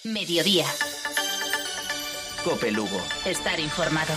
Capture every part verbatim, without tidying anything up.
Mediodía. Cope Lugo. Estar informado.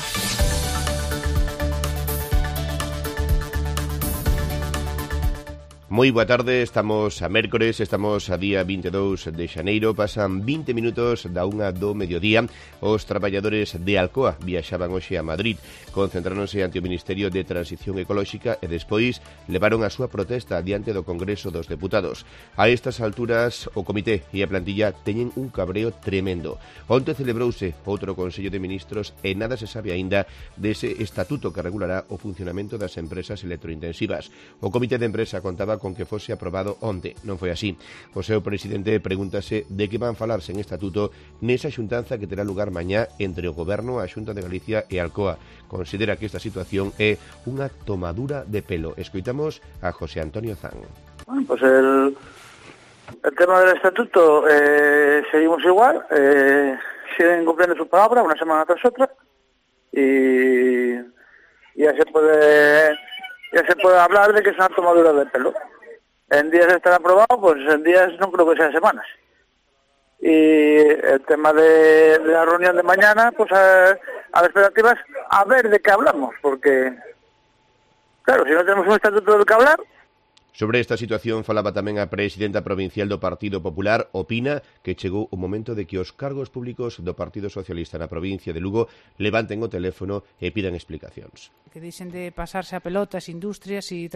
Moi boa tarde, estamos a mércores, estamos a día vinte e dous de xaneiro, pasan vinte minutos da unha do mediodía. Os traballadores de Alcoa viaxaban hoxe a Madrid, concentráronse ante o Ministerio de Transición Ecolóxica e despois levaron a súa protesta diante do Congreso dos Deputados. A estas alturas, o comité e a plantilla teñen un cabreo tremendo. Onte celebrouse outro Consello de Ministros e nada se sabe aínda dese estatuto que regulará o funcionamento das empresas electrointensivas. O comité de empresa contaba con que fose aprobado onte. Non foi así. O seu presidente pregúntase de que van falarse en estatuto nesa xuntanza que terá lugar mañá entre o Goberno, a Xunta de Galicia e Alcoa. Considera que esta situación é unha tomadura de pelo. Escoitamos a José Antonio Zan. Bueno, pues el, el tema del estatuto eh, seguimos igual, eh, siguen cumpliendo su palabra una semana tras otra y ya se puede ya se puede hablar de que es una tomadura de pelo. En días estará aprobado, pues en días no creo que sean semanas. Y el tema de, de la reunión de mañana, pues a, a las expectativas, a ver de qué hablamos, porque, claro, si no tenemos un estatuto del que hablar... Sobre esta situación falaba tamén a presidenta provincial do Partido Popular, opina que chegou o momento de que os cargos públicos do Partido Socialista na provincia de Lugo levanten o teléfono e pidan explicacións. Que deixen de pasarse a pelotas, industrias e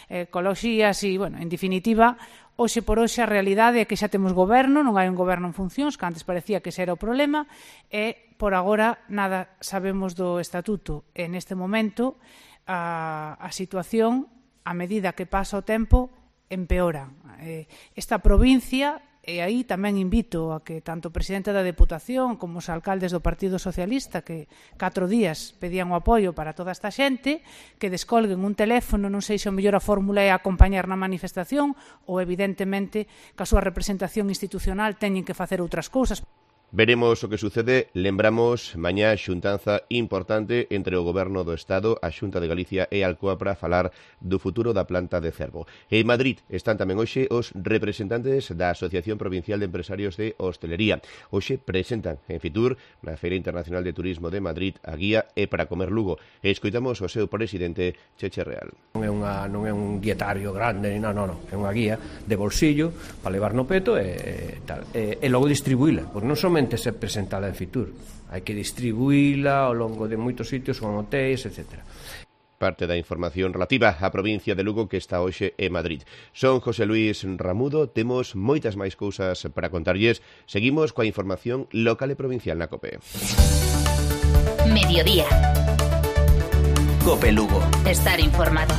ecoloxías e, bueno, en definitiva, hoxe por hoxe a realidade é que xa temos goberno, non hai un goberno en funcións, que antes parecía que ese era o problema, e por agora nada sabemos do estatuto. E neste momento a, a situación, a medida que pasa o tempo, empeora. Eh, esta provincia, e aí tamén invito a que tanto o presidente da Deputación como os alcaldes do Partido Socialista, que catro días pedían o apoio para toda esta xente, que descolguen un teléfono, non sei se o mellor a fórmula é acompañar na manifestación ou evidentemente que a súa representación institucional teñen que facer outras cousas. Veremos o que sucede. Lembramos mañá xuntanza importante entre o Goberno do Estado, a Xunta de Galicia e Alcoa para falar do futuro da planta de Cervo. En Madrid están tamén hoxe os representantes da Asociación Provincial de Empresarios de Hostelería. Hoxe presentan en Fitur, na Feira Internacional de Turismo de Madrid, a guía E para comer Lugo. E escoitamos o seu presidente, Cheche Real. Non é, unha, non é un dietario grande, non, non, non. É unha guía de bolsillo para levar no peto e, e tal. E, e logo distribuíla, porque non somente ser presentada en Fitur, hai que distribuíla ao longo de moitos sitios, con hotéis, etcétera. Parte da información relativa á provincia de Lugo que está hoxe en Madrid. Son José Luis Ramudo, temos moitas máis cousas para contarlles. Seguimos coa información local e provincial na COPE. Mediodía. Cope Lugo. Estar informado.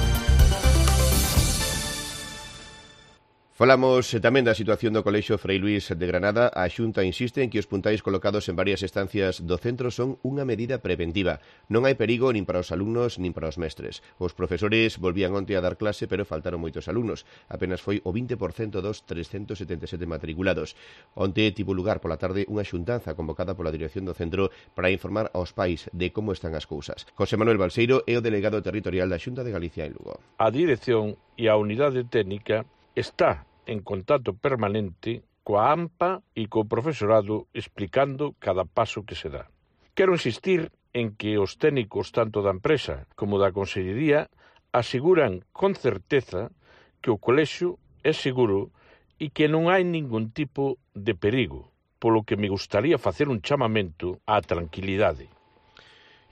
Falamos tamén da situación do Colexio Frei Luís de Granada. A Xunta insiste en que os puntais colocados en varias estancias do centro son unha medida preventiva. Non hai perigo nin para os alumnos nin para os mestres. Os profesores volvían onte a dar clase, pero faltaron moitos alumnos. Apenas foi o vinte por cento dos trescentos setenta e sete matriculados. Onte tivo lugar pola tarde unha xuntanza convocada pola dirección do centro para informar aos pais de como están as cousas. José Manuel Balseiro é o delegado territorial da Xunta de Galicia en Lugo. A dirección e a unidade técnica está en contacto permanente coa AMPA e co profesorado explicando cada paso que se dá. Quero insistir en que os técnicos tanto da empresa como da Consellería aseguran con certeza que o colexio é seguro e que non hai ningún tipo de perigo, polo que me gustaría facer un chamamento á tranquilidade.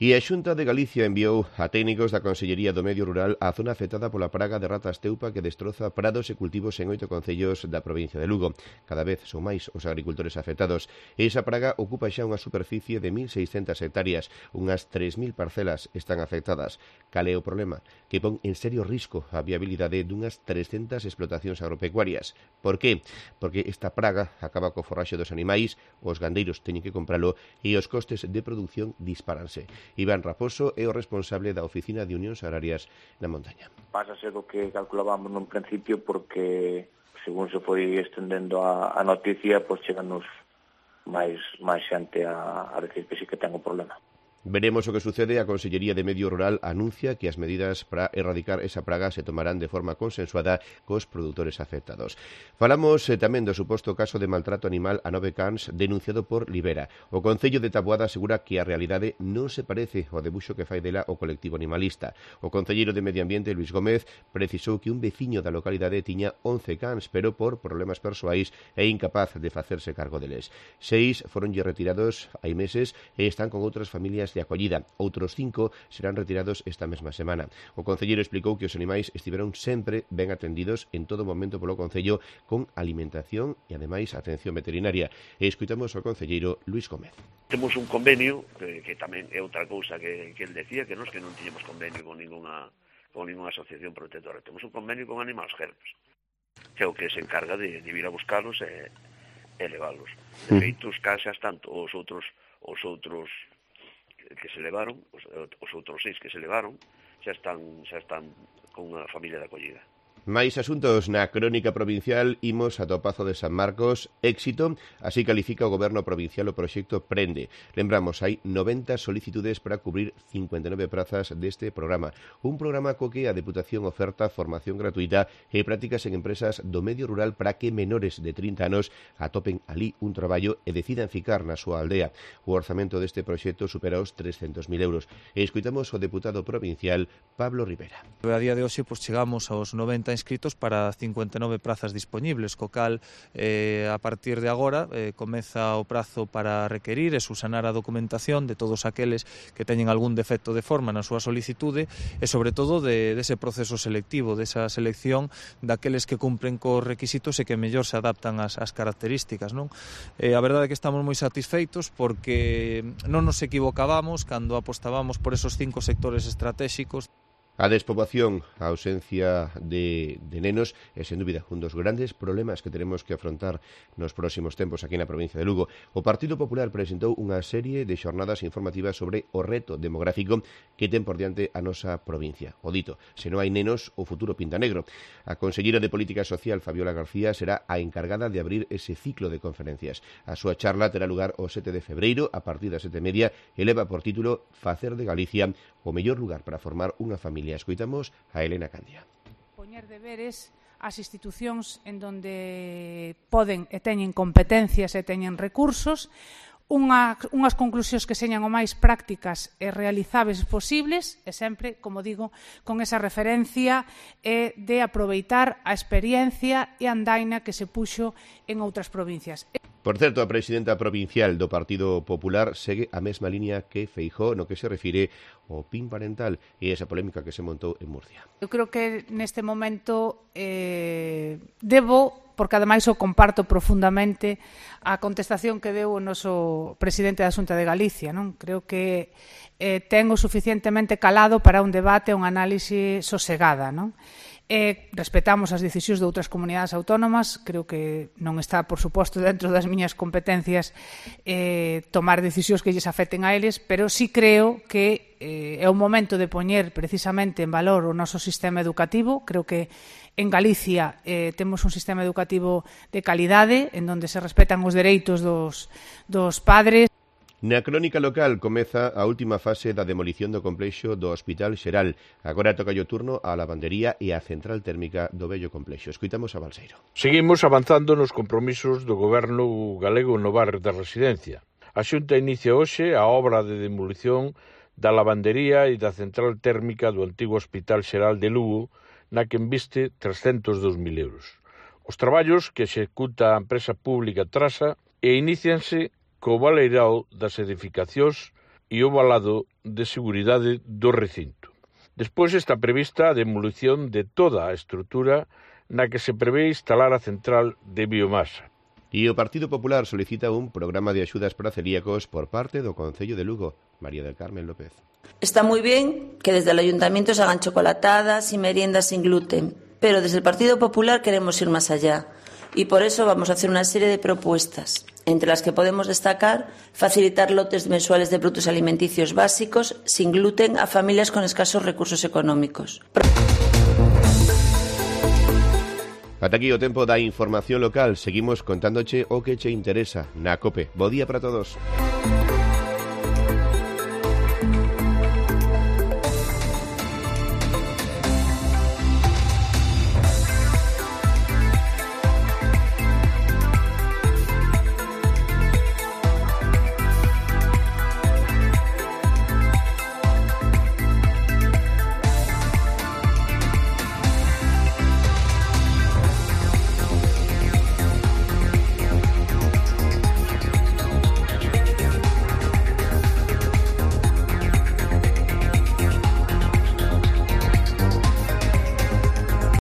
E a Xunta de Galicia enviou a técnicos da Consellería do Medio Rural á zona afectada pola praga de ratas teupa que destroza prados e cultivos en oito concellos da provincia de Lugo. Cada vez son máis os agricultores afectados. E esa praga ocupa xa unha superficie de mil seiscentas hectáreas. Unhas tres mil parcelas están afectadas. Cal é o problema? Que pon en serio risco a viabilidade dunhas trescentas explotacións agropecuarias. Por que? Porque esta praga acaba co forraxe dos animais, os gandeiros teñen que compralo e os costes de produción disparanse. Iván Raposo é o responsable da Oficina de Unións Agrarias na montaña. Pásase do que calculábamos nun principio porque, según se foi estendendo a, a noticia, pois cheganos máis, máis xente a, a decir que sí que ten un problema. Veremos o que sucede. A Consellería de Medio Rural anuncia que as medidas para erradicar esa praga se tomarán de forma consensuada cos produtores afectados. Falamos eh, tamén do suposto caso de maltrato animal a nove cans denunciado por Libera. O Concello de Taboada asegura que a realidade non se parece ao debuxo que fai dela o colectivo animalista. O concelleiro de Medio Ambiente, Luis Gómez, precisou que un veciño da localidade tiña once cans, pero por problemas persoais é incapaz de facerse cargo deles. Seis foronlle retirados hai meses e están con outras familias de acollida. Outros cinco serán retirados esta mesma semana. O concelleiro explicou que os animais estiveron sempre ben atendidos en todo momento polo Concello con alimentación e, ademais, atención veterinaria. E escuitamos ao concelleiro Luis Gómez. Temos un convenio, que, que tamén é outra cousa que, que el decía, que nos que non tiñemos convenio con ninguna, con ninguna asociación protectora. Temos un convenio con Animals Help, que é o que se encarga de, de vir a buscarlos e, e leválos. De feito, os casas, tanto os outros os outros que se levaron, os, os outros seis que se levaron, xa están, xa están con unha familia de acollida. Máis asuntos na crónica provincial. Imos ata o Pazo de San Marcos. Éxito, así califica o goberno provincial o proxecto Prende. Lembramos, hai noventa solicitudes para cubrir cincuenta e nove prazas deste programa. Un programa co que a Deputación oferta formación gratuita e prácticas en empresas do medio rural para que menores de trinta anos atopen ali un traballo e decidan ficar na súa aldea. O orzamento deste proxecto supera os trescentos mil euros. E escuitamos o deputado provincial Pablo Rivera. A día de hoxe pues, chegamos aos noventa inscritos para cincuenta e nove prazas dispoñibles, co cal eh, a partir de agora eh, comeza o prazo para requerir e subsanar a documentación de todos aqueles que teñen algún defecto de forma na súa solicitude e sobre todo de, de ese proceso selectivo, desa selección daqueles que cumpren cos requisitos e que mellor se adaptan ás, ás características, non? Eh, a verdade é que estamos moi satisfeitos porque non nos equivocábamos cando apostábamos por esos cinco sectores estratégicos. A despoboación, a ausencia de, de nenos é, sen dúbida, un dos grandes problemas que teremos que afrontar nos próximos tempos aquí na provincia de Lugo. O Partido Popular presentou unha serie de xornadas informativas sobre o reto demográfico que ten por diante a nosa provincia. O dito, se non hai nenos, o futuro pinta negro. A conselleira de Política Social, Fabiola García, será a encargada de abrir ese ciclo de conferencias. A súa charla terá lugar o sete de febreiro, a partir das sete e media, e leva por título Facer de Galicia o mellor lugar para formar unha familia. Escuitamos a Elena Candia. Poñer deberes ás institucións en donde poden e teñen competencias e teñen recursos, unha, unhas conclusións que señan o máis prácticas e realizables posibles e sempre, como digo, con esa referencia e de aproveitar a experiencia e a andaina que se puxo en outras provincias. Por certo, a presidenta provincial do Partido Popular segue a mesma línea que Feijóo no que se refire ao P I N parental e esa polémica que se montou en Murcia. Eu creo que neste momento eh, debo, porque ademais o comparto profundamente, a contestación que deu o noso presidente da Xunta de Galicia, non? Creo que eh, ten o suficientemente calado para un debate, un análise sosegada, non? E respetamos as decisións de outras comunidades autónomas. Creo que non está, por suposto, dentro das miñas competencias eh, tomar decisións que lles afecten a eles, pero sí creo que eh, é o momento de poñer precisamente en valor o noso sistema educativo. Creo que en Galicia eh, temos un sistema educativo de calidade, en donde se respetan os dereitos dos, dos padres. Na crónica local comeza a última fase da demolición do complexo do Hospital Xeral. Agora toca o turno á lavandería e á central térmica do vello complexo. Escuitamos a Balseiro. Seguimos avanzando nos compromisos do goberno galego no barrio da Residencia. A Xunta inicia hoxe a obra de demolición da lavandería e da central térmica do antigo Hospital Xeral de Lugo, na que inviste trescentos dous mil euros. Os traballos que executa a empresa pública Trasa e inicianse co baleirao das edificacións e o valado de seguridade do recinto. Despois está prevista a demolición de toda a estrutura na que se prevé instalar a central de biomasa. E o Partido Popular solicita un programa de axudas para celíacos por parte do Concello de Lugo. María del Carmen López. Está moi ben que desde el Ayuntamiento se hagan chocolatadas y meriendas sin gluten, pero desde el Partido Popular queremos ir más allá. Y por eso vamos a hacer una serie de propuestas, entre las que podemos destacar facilitar lotes mensuales de productos alimenticios básicos sin gluten a familias con escasos recursos económicos. Ata aquí o tempo da información local. Seguimos contándoche o que che interesa na COPE. Bo día para todos.